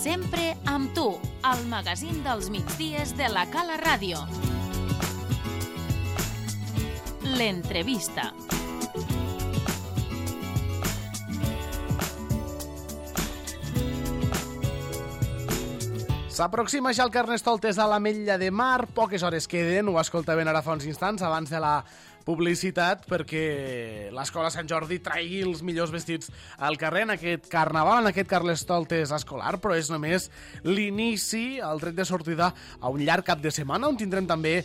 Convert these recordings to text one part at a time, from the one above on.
Sempre amb tu, al magazín dels migdies de la Cala Ràdio. L'entrevista. S'aproxima ja el Carnestoltes a l'Ametlla de Mar, poques hores queden, ho escoltaven ara fa uns instants abans de la publicitat, perquè l'Escola Sant Jordi traigui els millors vestits al carrer en aquest carnaval, en aquest Carnestoltes escolar, però és només l'inici, el tret de sortida a un llarg cap de setmana, on tindrem també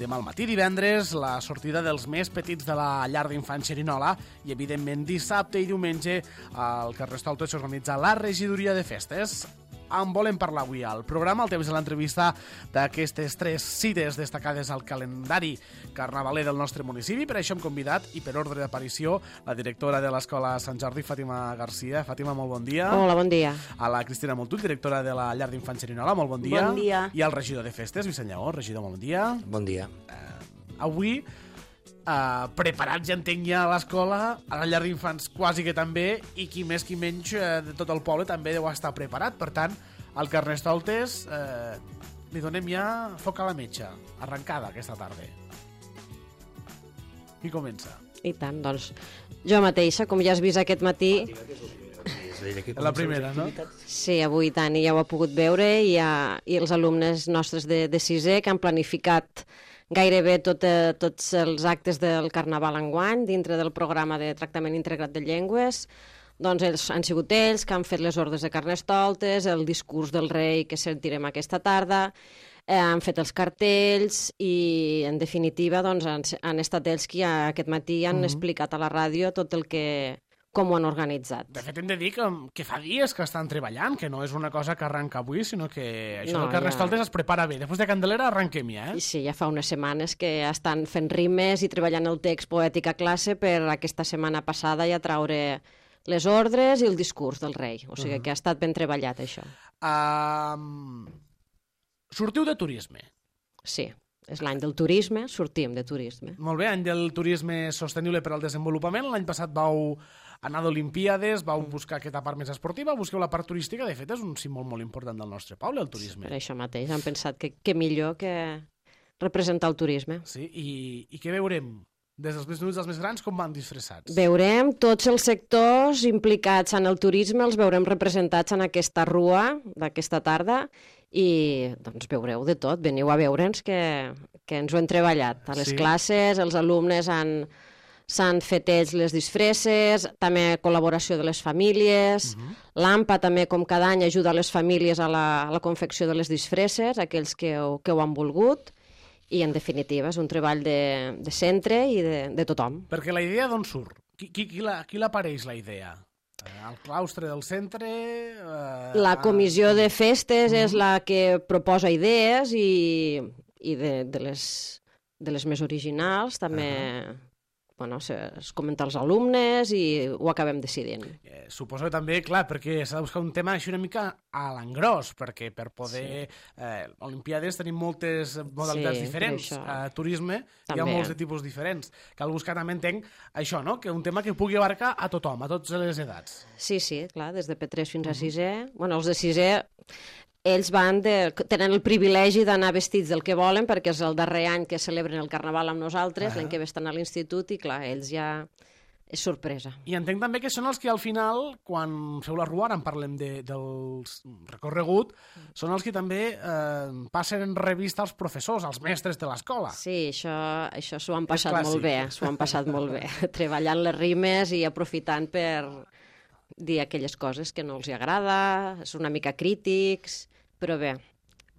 demà al matí, divendres, la sortida dels més petits de la llar d'infants Xerinola i, evidentment, dissabte i diumenge al Carnestoltes s'organitza la regidoria de festes. En volem parlar avui al programa, el temps de l'entrevista d'aquestes 3 cites destacades al calendari carnavaler del nostre municipi. Per això hem convidat, i per ordre d'aparició, la directora de l'Escola Sant Jordi, Fàtima Garcia. Fàtima, molt bon dia. Hola, bon dia. A la Cristina Montull, directora de la llar d'infants Xerinola, molt bon dia. Bon dia. I al regidor de festes, Vicent Lleó. Regidor, molt bon dia. Bon dia. Avui, preparats, ja entenc, ja a l'escola, a la llar d'infants quasi que també, i qui més qui menys de tot el poble també deu estar preparat. Per tant, al Carnestoltes li donem ja foc a la metxa, arrencada aquesta tarda. Qui comença? I tant, doncs jo mateixa, com ja has vist aquest matí... La primera, no? Sí, avui tant, i ja ho ha pogut veure, i els alumnes nostres de sisè que han planificat gairebé tots els actes del Carnaval enguany dintre del programa de tractament integrat de llengües. Doncs han sigut ells que han fet les ordres de Carnestoltes, el discurs del rei que sentirem aquesta tarda, han fet els cartells i, en definitiva, doncs, han estat ells qui aquest matí han explicat a la ràdio tot el que... com ho han organitzat. De fet, hem de dir que fa dies que estan treballant, que no és una cosa que arranca avui, sinó que això del Carnestoltes es prepara bé. Després de Candelera arranquem ja, I sí, ja fa unes setmanes que estan fent rimes i treballant el text poètic a classe per aquesta setmana passada ja traure les ordres i el discurs del rei. O sigui que ha estat ben treballat, això. Sortiu de turisme. Sí. És l'any del turisme, sortim de turisme. Molt bé, any del turisme sostenible per al desenvolupament. L'any passat vau anar d'Olimpíades, vau buscar aquesta part més esportiva, busqueu la part turística. De fet, és un símbol molt important del nostre poble, el turisme. Per això mateix, han pensat que millor que representar el turisme. Sí, i què veurem? Des dels més menuts als més grans, com van disfressats? Veurem tots els sectors implicats en el turisme, els veurem representats en aquesta rua d'aquesta tarda, i doncs veureu de tot, veniu a veure'ns que ens ho hem treballat. A les classes els alumnes s'han fet ells les disfresses, també col·laboració de les famílies, l'AMPA també, com cada any, ajuda a les famílies a la confecció de les disfresses, aquells que ho han volgut, i en definitiva és un treball de centre i de tothom. Perquè la idea d'on surt? Qui l'apareix, la idea? El claustre del centre... La comissió de festes és la que proposa idees i de les més originals també es comenta als alumnes i ho acabem decidint. Suposo que també, clar, perquè s'ha de buscar un tema així una mica a l'engròs, perquè per poder... Olimpiades tenim moltes modalitats diferents. Turisme també. Hi ha molts de tipus diferents. Cal buscar també, entenc, això, no? Que un tema que pugui abarcar a tothom, a totes les edats. Sí, clar, des de P3 fins a 6è. Bueno, els de 6è... Ells tenen el privilegi d'anar vestits del que volen, perquè és el darrer any que celebren el Carnaval amb nosaltres, l'any que ve estan a l'institut, i clar, ells ja... és sorpresa. I entenc també que són els que al final, quan feu la rua, ara en parlem del recorregut, són els que també passen en revista als professors, als mestres de l'escola. Sí, això s'ho han passat molt bé, treballant les rimes i aprofitant per dir aquelles coses que no els agrada, és una mica crítics, però bé,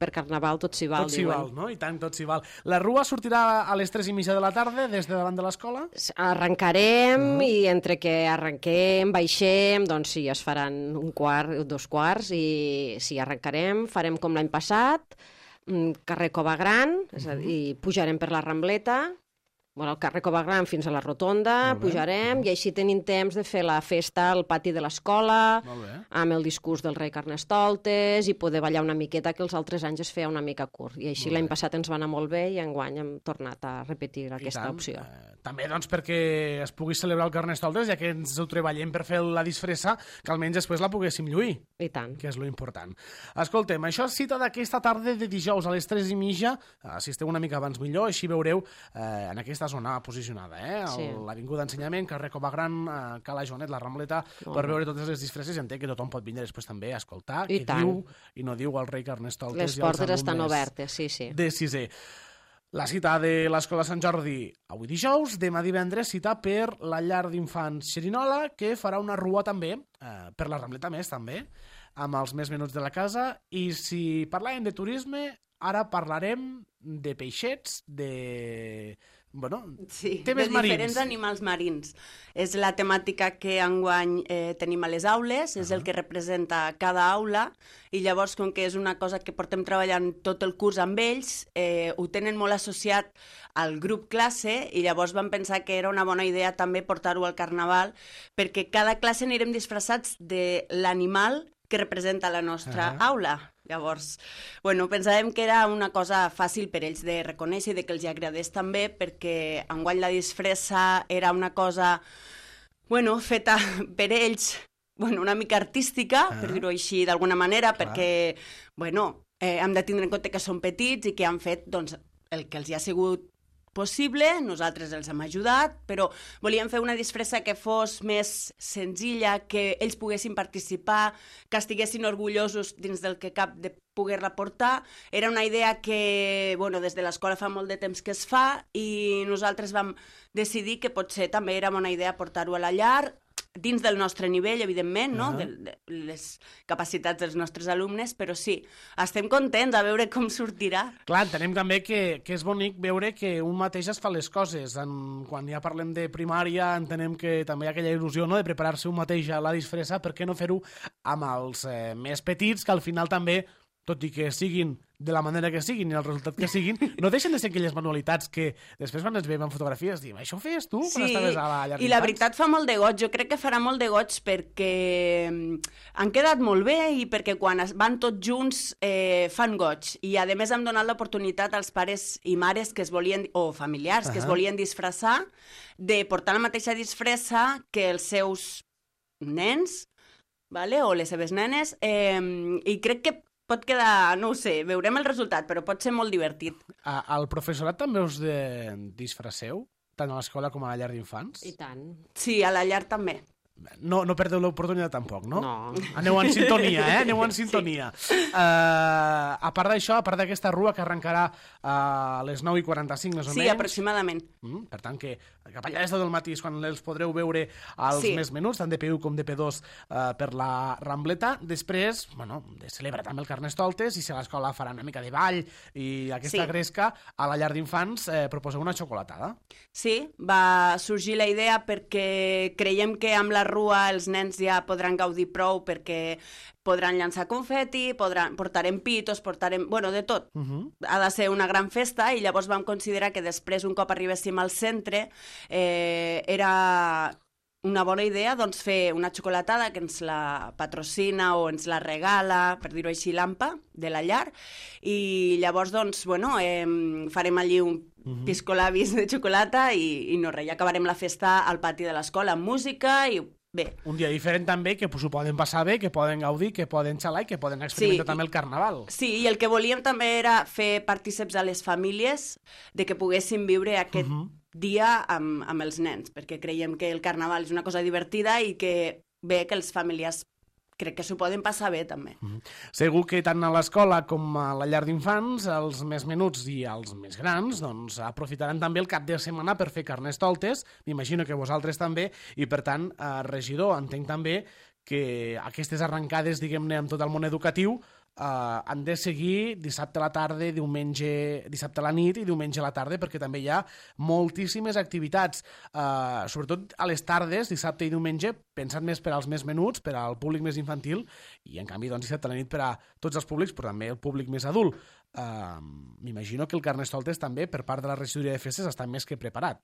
per Carnaval tot s'hi val, tot s'hi val, no? I tant, tot s'hi val. La rua sortirà a les 3:30 de la tarda des de davant de l'escola? Arrencarem i entre que arrenquem, baixem, doncs sí, es faran 1/4, 2/4 i sí, arrencarem, farem com l'any passat, carrer Cova Gran, és a dir, pujarem per la Rambleta el carrer Covagran fins a la rotonda, pujarem, i així tenim temps de fer la festa al pati de l'escola, amb el discurs del rei Carnestoltes, i poder ballar una miqueta, que els altres anys es feia una mica curt. I així l'any passat ens va anar molt bé i enguany hem tornat a repetir aquesta opció. També, doncs, perquè es pugui celebrar el Carnestoltes, ja que ens ho treballem per fer la disfressa, que almenys després la poguéssim lluir. I tant. Que és lo important. Escoltem, això és cita d'aquesta tarda de dijous a les 3:30. Si esteu una mica abans millor, així veureu en aquesta zona posicionada, l'Avinguda d'Ensenyament, carrer Covagran, Cala Joanet, la Rambleta, per veure totes les disfresses. Entenc que tothom pot vindre després també a escoltar què diu i no diu el rei Carnestoltes. Les portes estan obertes, sí. De sisè. La cita de l'Escola Sant Jordi avui dijous, demà divendres cita per la llar d'infants Xerinola, que farà una rua també, per la Rambleta més també, amb els més menuts de la casa. I si parlàvem de turisme, ara parlarem de peixets, de temes marins. De diferents animals marins. És la temàtica que enguany tenim a les aules, és el que representa cada aula, i llavors, com que és una cosa que portem treballant tot el curs amb ells, ho tenen molt associat al grup classe, i llavors vam pensar que era una bona idea també portar-ho al Carnaval, perquè cada classe anirem disfressats de l'animal que representa la nostra aula. Llavors, pensàvem que era una cosa fàcil per ells de reconèixer i de que els agradés també, perquè enguany la disfressa era una cosa, feta per ells, una mica artística, per dir-ho així d'alguna manera, perquè, hem de tindre en compte que són petits i que han fet, el que els hi ha sigut possible, nosaltres els hem ajudat, però volíem fer una disfressa que fos més senzilla, que ells poguessin participar, que estiguessin orgullosos dins del que cap de poder-la portar. Era una idea que, des de l'escola fa molt de temps que es fa, i nosaltres vam decidir que potser també era bona idea portar-ho a la llar, dins del nostre nivell, evidentment, de les capacitats dels nostres alumnes, però sí, estem contents a veure com sortirà. Clar, entenem també que és bonic veure que un mateix es fa les coses. Quan ja parlem de primària, entenem que també hi ha aquella il·lusió de preparar-se un mateix a la disfressa, per què no fer-ho amb els més petits, que al final també, tot i que siguin de la manera que siguin i el resultat que siguin, no deixen de ser aquelles manualitats que després quan ens veiem en fotografies diem, això ho feies tu quan estaves a la llar d'infants? I la veritat fa molt de goig, jo crec que farà molt de goig perquè han quedat molt bé i perquè quan van tots junts fan goig, i a més hem donat l'oportunitat als pares i mares que es volien, o familiars que es volien disfressar, de portar la mateixa disfressa que els seus nens, o les seves nenes, i crec que pot quedar, no ho sé, veurem el resultat, però pot ser molt divertit. Al professorat també us disfresseu, tant a l'escola com a la llar d'infants? I tant. Sí, a la llar també. No perdeu l'oportunitat tampoc, no? No. Aneu en sintonia, Aneu en sintonia. Sí. A part d'això, a part d'aquesta rua que arrencarà a les 9:45, més o menys. Sí, aproximadament. Per tant, que cap allà des del matí és quan els podreu veure als més menuts, tant de P1 com de P2 per la Rambleta. Després, de celebrar també el Carnestoltes, i si a l'escola farà una mica de ball i aquesta gresca, a la llar d'infants proposeu una xocolatada. Sí, va sorgir la idea perquè creiem que amb la rua els nens ja podran gaudir prou, perquè podran llançar confeti, portarem pitos, de tot. Ha de ser una gran festa, i llavors vam considerar que després, un cop arribéssim al centre, era una bona idea fer una xocolatada que ens la patrocina o ens la regala, per dir-ho així, l'AMPA de la llar, i llavors farem allí un piscolabis de xocolata i no res, ja acabarem la festa al pati de l'escola amb música i bé. Un dia diferent també, que s'ho poden passar bé, que poden gaudir, que poden xalar i que poden experimentar també el Carnaval. Sí, i el que volíem també era fer partíceps a les famílies de que poguessin viure aquest dia amb els nens, perquè creiem que el Carnaval és una cosa divertida i que bé que els familiars crec que s'ho poden passar bé, també. Segur que tant a l'escola com a la llar d'infants, els més menuts i els més grans, aprofitaran també el cap de setmana per fer Carnestoltes, m'imagino que vosaltres també, i per tant, regidor, entenc també que aquestes arrencades, diguem-ne, amb tot el món educatiu, han de seguir dissabte a la tarda, dissabte a la nit i diumenge a la tarda, perquè també hi ha moltíssimes activitats, sobretot a les tardes, dissabte i diumenge, pensat més per als més menuts, per al públic més infantil, i en canvi dissabte a la nit per a tots els públics, però també el públic més adult. m'imagino que el Carnestoltes també, per part de la regidoria de festes, està més que preparat.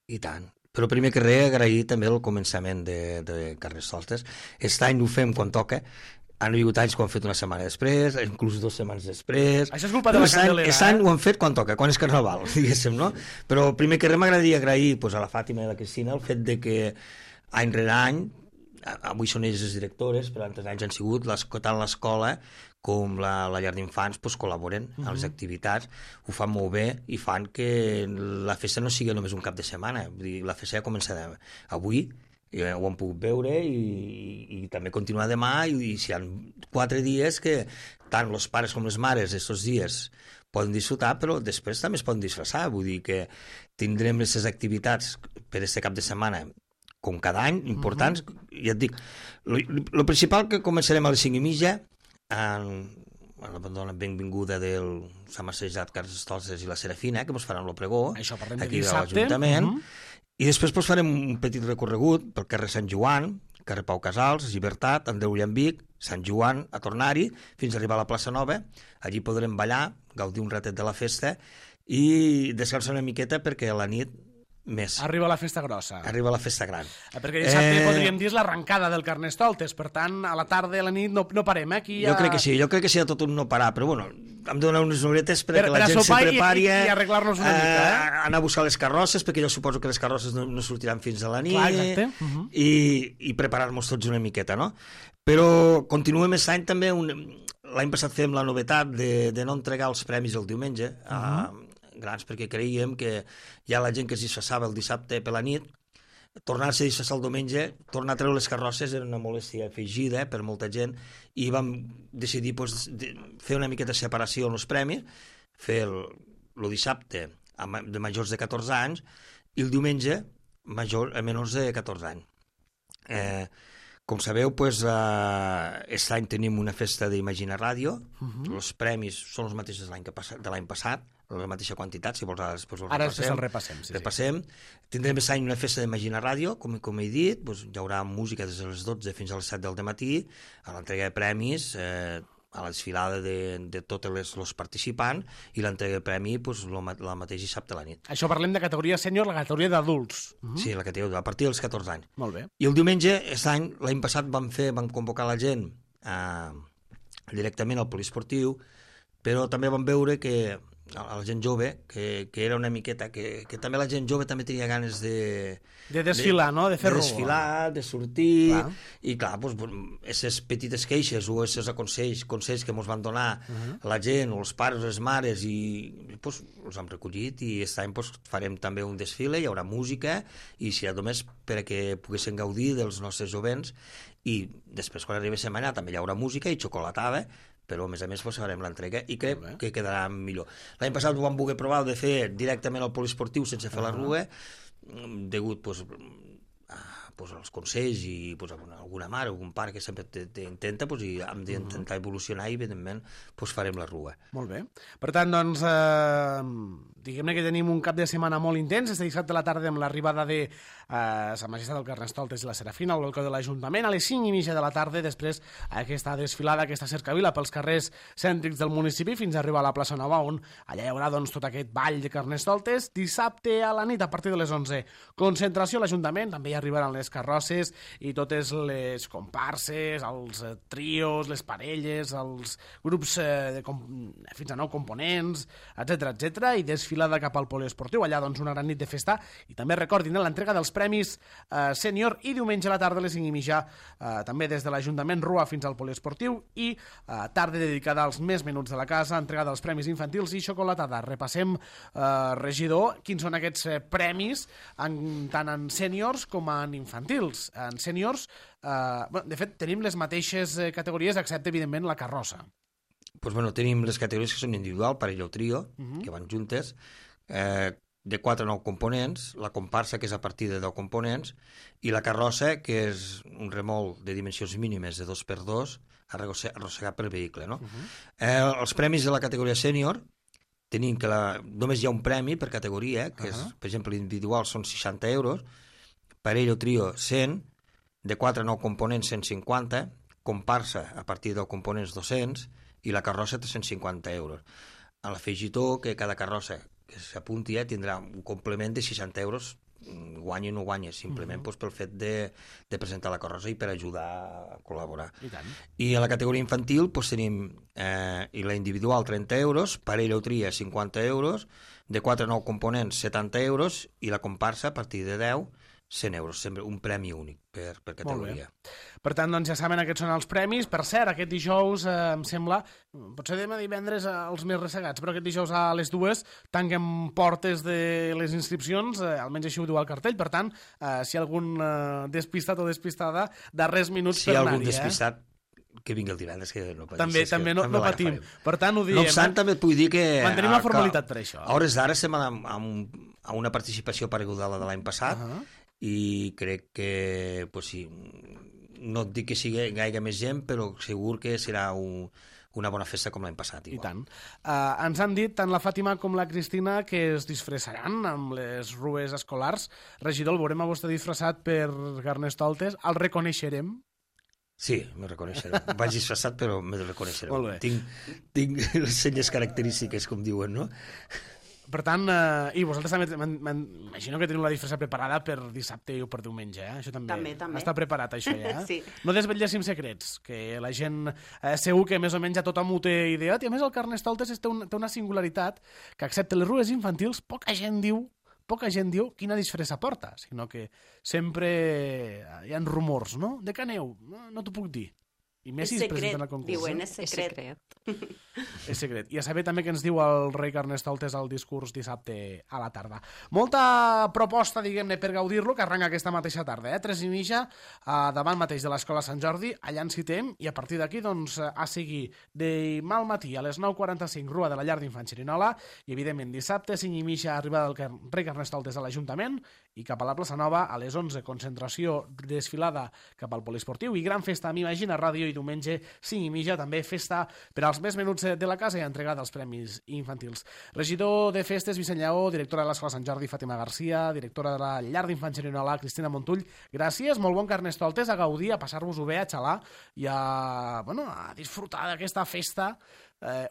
I tant. Però primer que res, agrair també el començament de Carnestoltes. Aquest any ho fem quan toca. Han hagut anys que ho han fet una setmana després, inclús 2 setmanes després. Això és culpa de la Candelera. Aquest any ho han fet quan toca, quan és Carnaval, diguéssim, no? Però primer que res m'agradaria agrair a la Fàtima i a la Cristina el fet de que any rere any, avui són elles les directores, però altres anys han sigut tant l'escola com la llar d'infants col·laboren a les activitats, ho fan molt bé i fan que la festa no sigui només un cap de setmana. Vull dir, la festa ja comença avui, ho hem pogut veure i també continuar demà i si hi ha 4 dies que tant els pares com les mares aquests dies poden disfrutar, però després també es poden disfressar, vull dir que tindrem aquestes activitats per aquest cap de setmana com cada any, importants, ja et dic, el principal que començarem a les 5:30 la benvinguda del Sant Marcejat, Carnestoltes i la Serafina, que ens faran el pregó aquí a l'Ajuntament, i després farem un petit recorregut pel carrer Sant Joan, carrer Pau Casals, Llibertat, Andreu Llambic, Sant Joan, a tornar-hi, fins a arribar a la plaça Nova. Allí podrem ballar, gaudir un ratet de la festa i descansar una miqueta perquè a la nit més. Arriba la festa grossa. Arriba la festa gran. Perquè dissabte podríem dir és l'arrencada del Carnestoltes, per tant, a la tarda i a la nit no parem, Aquí Jo crec que sí, de tot un no parar, però bueno, hem de donar unes horetes perquè la gent se prepari i arreglar-nos una mica, anar a buscar les carrosses, perquè jo suposo que les carrosses no sortiran fins a la nit. Clar, exacte. I preparar-nos tots una miqueta, no? Però continuem aquest any també, l'any passat fem la novetat de no entregar els premis el diumenge, grans, perquè creiem que hi ha la gent que es disfressava el dissabte per la nit, tornar-se a disfressar el diumenge, tornar a treure les carrosses era una molèstia afegida per molta gent i vam decidir fer una miqueta de separació en els premis, fer el dissabte de majors de 14 anys i el diumenge a menors de 14 anys. Com sabeu, aquest any tenim una festa d'Imagina Ràdio, els premis són els mateixos de l'any passat, la mateixa quantitat, si vols ara després el repassem. Repassem. Tindrem aquest any una festa d'Imagina Ràdio, com he dit, hi haurà música des de les 12 fins a les 7 del dematí, a l'entrega de premis, a la desfilada de tots els participants i l'entrega de premi el mateix dissabte a la nit. Això parlem de categoria sènior, la categoria d'adults. Sí, la categoria, a partir dels 14 anys. Molt bé. I el diumenge, l'any passat vam convocar la gent directament al poliesportiu, però també vam veure que a la gent jove, que era una miqueta, que també la gent jove també tenia ganes de desfilar, no? De fer rua. De desfilar, de sortir, i clar, aquestes petites queixes o aquests consells que ens van donar la gent, o els pares o les mares, i els hem recollit, i aquest any farem també un desfile, hi haurà música, i serà només perquè poguessin gaudir dels nostres jovents, i després quan arribi setmana també hi haurà música i xocolatada, però a més farem l'entrega i crec que quedarà millor. L'any passat ho vam voler provar de fer directament al poliesportiu sense fer la rua, degut als consells i alguna mare o algun pare que sempre t'intenta, i hem d'intentar evolucionar i evidentment farem la rua. Molt bé. Per tant, doncs, diguem-ne que tenim un cap de setmana molt intens, este dissabte a la tarda amb l'arribada de Sa Majestat del Carnestoltes i la Serafina al balcó de l'Ajuntament, a les 5:30 de la tarda, després aquesta desfilada, aquesta cercavila pels carrers cèntrics del municipi fins a arribar a la plaça Nova, on allà hi haurà tot aquest ball de Carnestoltes. Dissabte a la nit, a partir de les 11, concentració a l'Ajuntament, també hi arribaran les carrosses i totes les comparses, els trios, les parelles, els grups fins a 9 components, etc, i desfilada cap al poliesportiu, allà una gran nit de festa, i també recordin l'entrega dels premis sènior i diumenge a la tarda a les 5:30 també des de l'Ajuntament Rua fins al poliesportiu i tarda dedicada als més menuts de la casa, entregada dels premis infantils i xocolatada. Repassem, regidor, quins són aquests premis tant en sèniors com en infantils. En sèniors, de fet, tenim les mateixes categories, excepte, evidentment, la carrossa. Tenim les categories que són individual, parella o trio, que van juntes, de 4 a 9 components, la comparsa, que és a partir de 10 components, i la carrossa, que és un remolc de dimensions mínimes de 2x2, arrossegat per vehicle. No? Els premis de la categoria sènior, tenim que només hi ha un premi per categoria, que és, per exemple, l'individual són 60 euros, parella o trio 100, de 4 a 9 components 150, comparsa a partir de 10 components 200, i la carrossa 350 euros. a l'afegitó que cada carrossa que s'apunti tindrà un complement de 60 euros, guanya o no guanya, simplement pel fet de presentar la carrossa i per ajudar a col·laborar. I tant. I a la categoria infantil tenim i la individual 30 euros, parella o tria 50 euros, de 4 a 9 components 70 euros i la comparsa a partir de 10 100 euros, sempre un premi únic per categoria. Per tant, doncs ja saben, aquests són els premis. Per cert, aquest dijous, em sembla, potser demà divendres els més ressegats, però aquest dijous a les 2 tanquem portes de les inscripcions, almenys així ho diu el cartell. Per tant, si hi ha algun despistat o despistada, darrers minuts per anar-hi. Si hi ha algun despistat, que vingui el divendres, que no pateixis. També no patim. Per tant, ho diem. No obstant, també et vull dir que... Mantenim la formalitat per això. A hores d'ara estem a una participació pareguda a la de l'any passat, i crec que, pues sí, no et dic que sigui gaire més gent, però segur que serà una bona festa com l'any passat. Igual. I tant. Ens han dit tant la Fàtima com la Cristina que es disfressaran amb les rues escolars. Regidor, el veurem a vostè disfressat per Carnestoltes. El reconeixerem? Sí, me reconeixerem. Vaig disfressat, però me reconeixerem. Molt bé. Tinc les senyes característiques, com diuen, no? Per tant, i vosaltres també m'imagino que teniu la disfressa preparada per dissabte o per diumenge, Això també. També. Està preparat, això, ja? Sí. No desvetlléssim secrets, que la gent segur que més o menys ja tothom ho té ideat, i a més el Carnestoltes té una singularitat que, excepte les rues infantils, poca gent diu quina disfressa porta, sinó que sempre hi ha rumors, no? De què aneu? No t'ho puc dir. I més si es presenten al concurs. Diuen, és secret. És secret. I a saber també què ens diu el rei Carnestoltes al discurs dissabte a la tarda. Molta proposta, diguem-ne, per gaudir-lo, que arrenca aquesta mateixa tarda, 3:30, davant mateix de l'Escola Sant Jordi, allà ens citem, i a partir d'aquí, doncs, a seguir demà al matí a les 9:45, Rua de la Llar d'Infants Xerinola, i evidentment dissabte, 5:30, arribada del rei Carnestoltes a l'Ajuntament, i cap a la plaça Nova, a les 11, concentració, desfilada cap al poliesportiu, i gran festa, m'imagina, ràdio, i diumenge 5:30, també festa per als més menuts de la casa i entregada dels premis infantils. Regidor de Festes, Vicent Lleó, directora de l'Escola Sant Jordi, Fàtima Garcia, directora de la Llar d'Infants Xerinola, Cristina Montull, gràcies, molt bon Carnestoltes, a gaudir, a passar-vos-ho bé, a xalar i a disfrutar d'aquesta festa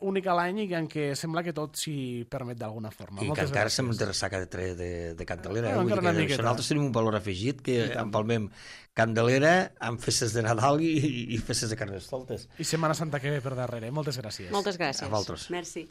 única a l'any i en què sembla que tot s'hi permet d'alguna forma. I que encara som de ressaca de Candelera. Nosaltres tenim un valor afegit que empalmem Candelera amb festes de Nadal i festes de Carnestoltes. I Setmana Santa que ve per darrere. Moltes gràcies. Moltes gràcies. A vosaltres. Merci.